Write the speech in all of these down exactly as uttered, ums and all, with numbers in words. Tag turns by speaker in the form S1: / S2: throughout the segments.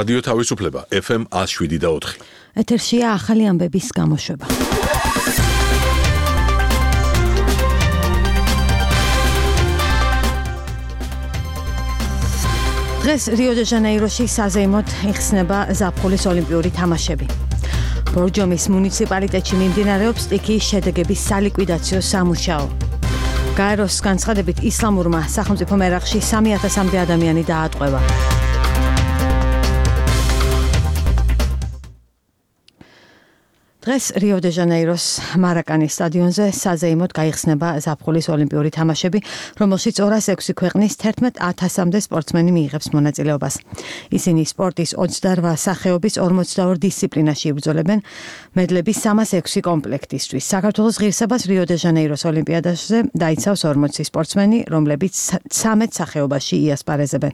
S1: რადიო თავისუფლება ეფ ემ one oh seven და four.
S2: ეთერშია ახალი ამბების გამოშვება. დღეს რიო-დე-ჟანეიროში საზეიმოდ იხსნება ზაფხულის ოლიმპიური თამაშები. ბორჯომის მუნიციპალიტეტში მიმდინარეობს სტიქიის შედეგების სალიკვიდაციო სამუშაო. გაეროს განცხადებით ისლამურმა სახელმწიფო მერახში სამი ათასამდე ადამიანი დაატყვევა. დღეს რიო-დე-ჟანეიროს მარაკანის სტადიონზე საზეიმოდ გაიხსნება ზაფხულის ოლიმპიური თამაშები, რომელშიც ორას ექვსი ქვეყნის თერთმეტ ათასამდე სპორტსმენი მიიღებს მონაწილეობას. ისინი სპორტის ოცდარვა სახეობის ორმოცდაორ დისციპლინაში იბრძოლებენ მედლების სამას ექვსი კომპლექტისთვის. საქართველოს ღირსებას რიო-დე-ჟანეიროს ოლიმპიადაზე დაიცავს ორმოცი სპორტსმენი, რომლებიც ცამეტ სახეობაში იასპარეზებენ.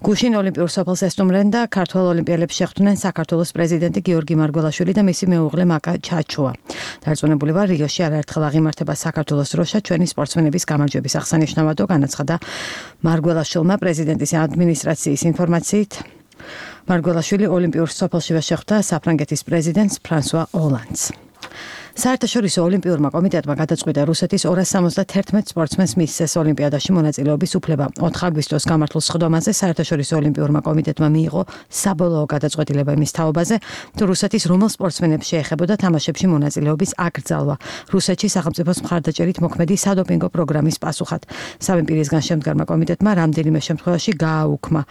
S2: გუშინ ოლიმპიურ სოფელს ესტუმრნენ და ქართველ ოლიმპიელებს შეხვდნენ საქართველოს პრეზიდენტი გიორგი მარგველაშვილი და მისი მეუღლე ჩაჩუა. დარწმუნებული ვარ, რიოში არაერთხელ აღიმართება საქართველოს დროშა ჩვენი სპორტსმენების გამარჯვების აღსანიშნავადო, განაცხადა მარგველაშვილმა პრეზიდენტის ადმინისტრაციის ინფორმაციით. მარგველაშვილი ოლიმპიურ სოფელშივე შეხვდა საფრანგეთის პრეზიდენტს ფრანსუა ოლანდს. საერთაშორისო ოლიმპიურმა კომიტეტმა გადაწყვიტა რუსეთის ორას სამოცდათერთმეტ სპორტსმენს მისცეს ოლიმპიადაში მონაწილეობის უფლება. ოთხ აგვისტოს გამართულ სხდომაზე საერთაშორისო ოლიმპიურმა კომიტეტმა მიიღო საბოლოო გადაწყვეტილება იმის თაობაზე, თუ რუსეთის რომელ სპორტსმენებს შეეხებოდა თამაშებში მონაწილეობის აკრძალვა. რუსეთში სახელმწიფოს მხარდაჭერით მოქმედი სადოპინგო პროგრამის პასუხად. სამი პირისგან შემდგარმა კომიტეტმა რამდენიმე შემთხვევაში გააუქმა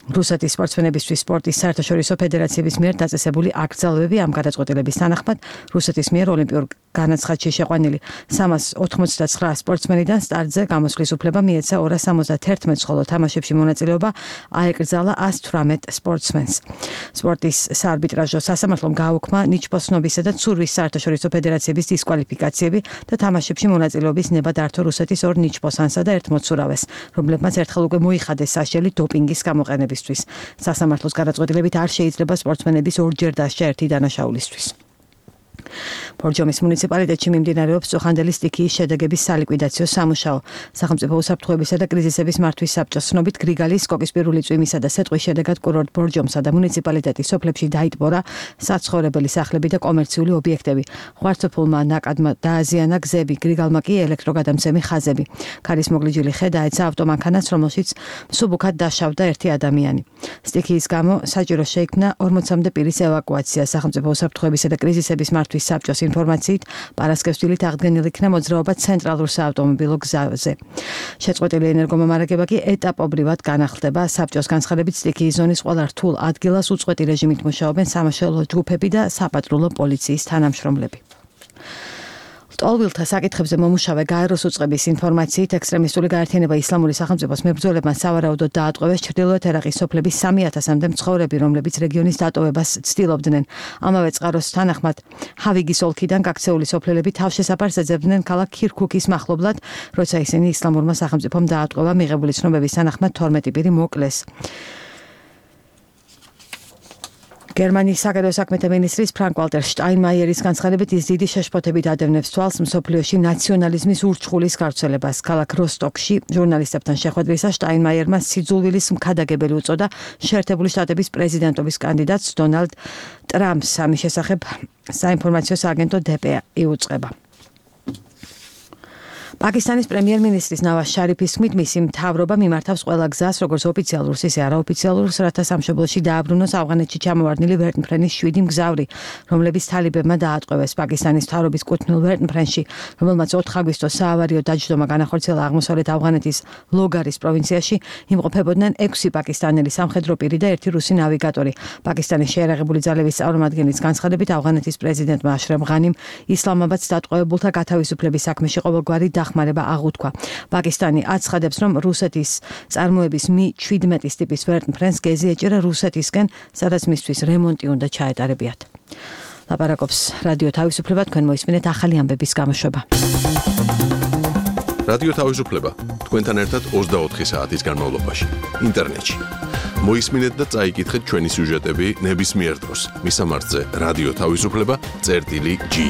S2: რუსეთის სპორტსმენებისთვის სპორტის საერთაშორისო ფედერაციების მიერ დაწესებული აკრძალვები. ამ გადაწყვეტილების თანახმად რუსეთის მიერ ოლიმპიურ განაცხადში შეყვანილი სამას ოთხმოცდაცხრა სპორტსმენიდან სტარტზე გამოსვლის უფლება მიეცა ორას სამოცდათერთმეტს, ხოლო თამაშებში მონაწილეობა აეკრძალა ას თვრამეტ სპორტსმენს. სპორტის საარბიტრაჟო სასამართლომ გააუქმა ნიჩბოსნობისა და ცურვის საერთაშორისო ფედერაციების დისკვალიფიკაციები და თამაშებში მონაწილეობის ნება დართო რუსეთის ორ ნიჩბოსანსა და ერთ მოცურავეს, რომლებმაც ერთხელ უკვე მოიხადეს საშელი დოპინგის გამოყენების. სასამართლოს გადაწყვეტილებით არ შეიძლება სპორტსმენების ორჯერ დასჯა ერთი დანაშაულისთვის. ბორჯომის მუნიციპალიტეტში მიმდინარეობს წუხანდელი სტიქიის შედეგების სალიკვიდაციო სამუშაო. სახელმწიფო უსაფრთხოებისა და კრიზისების მართვის საბჭოს ცნობით გრიგალის, კოკისპირული წვიმისა და სეტყვის შედეგად კურორტ ბორჯომსა და მუნიციპალიტეტის სოფლებში დაიტბორა საცხოვრებელი სახლები და კომერციული ობიექტები. ღვარცოფულმა ნაკადმა დააზიანა გზები, გრიგალმა კი ელექტროგადამცემი ხაზები. ქარის მოგლიჯილი ხე დაეცა ავტომანქანას, რომელშიც მსუბუქად დაშავდა ერთი ადამიანი. სტიქიის გამო საჭირო შეიქმნა ორმოცამდე პირის ევაკუაცია. სახელმწიფო უსაფრთხოებისა და კრიზისების მართვის საბჭოს ინფორმაციით პარასკევსდილით აღდგენილი იქნა მოძრაობა ცენტრალურ საავტომობილო გზაზე. შეწყვეტილი ენერგომომარაგება კი ეტაპობრივად განახლდება. საბჭოს განცხადებით სტიქიის ზონის ყველა რთულ ადგილას უწყვეტი რეჟიმით მუშაობენ სამაშველო ჯგუფები და საპატრულო პოლიციის თანამშრომლები. ტოლვილთა საკითხებზე მომუშავე გაეროს უწყების ინფორმაციით ექსტრემისტული გაერთიანება ისლამური სახელმწიფოს მებრძოლებმა სავარაუდოდ დაატყვევეს ჩრდილოეთ ერაყის სოფლების სამი ათასამდე მცხოვრები, რომლებიც რეგიონის დატოვებას ცდილობდნენ. ამავე წყაროს თანახმად ჰავიგის ოლქიდან გაქცეული სოფლელები თავშესაფარს ეძებდნენ ქალაქ ქირქუქის მახლობლად, როცა ისინი ისლამურმა სახელმწიფომ დაატყვევა. მიღებული ცნობების თანახმად თორმეტი პირი მოკლეს. გერმანიის საგარეო საქმეთა მინისტრის ფრანკ-ვალტერ შტაინმაიერის განცხადებით ის დიდი შეშფოთებით ადევნებს თვალს მსოფლიოში ნაციონალიზმის ურჩხულის გავრცელებას. ქალაქ როსტოკში ჟურნალისტებთან შეხვედრისას შტაინმაიერმა სიძულვილის მქადაგებელი უწოდა შეერთებული შტატების პრეზიდენტობის კანდიდატს დონალდ ტრამპს. ამის შესახებ საინფორმაციო სააგენტო დე პე იუწყება. პაკისტანის პრემიერ-მინისტრის ნავაზ შარიფის თქმით, მისი მთავრობა მიმართავს ყველა გზას, როგორც ოფიციალურს, ისე არაოფიციალურს, რათა სამშობლოში დააბრუნოს ავღანეთში ჩამოვარდნილი ვერტმფრენის შვიდი მგზავრი, რომლებიც თალიბებმა დაატყვევეს. პაკისტანის მთავრობის კუთვნილ ვერტმფრენში, რომელმაც ოთხ აგვისტოს საავარიო დაჯდომა განახორციელა აღმოსავლეთ ავღანეთის ლოგარის პროვინციაში, იმყოფებოდნენ ექვსი პაკისტანელი სამხედრო პირი და ერთი რუსი ნავიგატორი. პაკისტანის შეიარაღებული ძალების წარმომადგენლის განცხადებით, ავღანეთის პრეზიდენტმა აშრაფ ღანიმ ისლამაბადს დატყვევებულთა გათავისუფლების საქმეში ყოველგვარი დახმარება აღუთქვა. პაკისტანი აცხადებს, რომ რუსეთის წარმოების მი შვიდმეტის ტიპის ვერტმფრენს გეზი ეჭირა რუსეთისკენ, სადაც მისთვის რემონტი უნდა ჩაეტარებიათ. ლაპარაკობს რადიო თავისუფლება, თქვენ მოისმინეთ ახალი ამბების გამოშვება.
S1: რადიო თავისუფლება, თქვენთან ერთად ოცდაოთხი საათის განმავლობაში, ინტერნეტში. მოისმინეთ და წაიკითხეთ ჩვენი სიუჟეტები ნებისმიერ დროს. მისამართზე რადიო თავისუფლება წერტილი ჯი.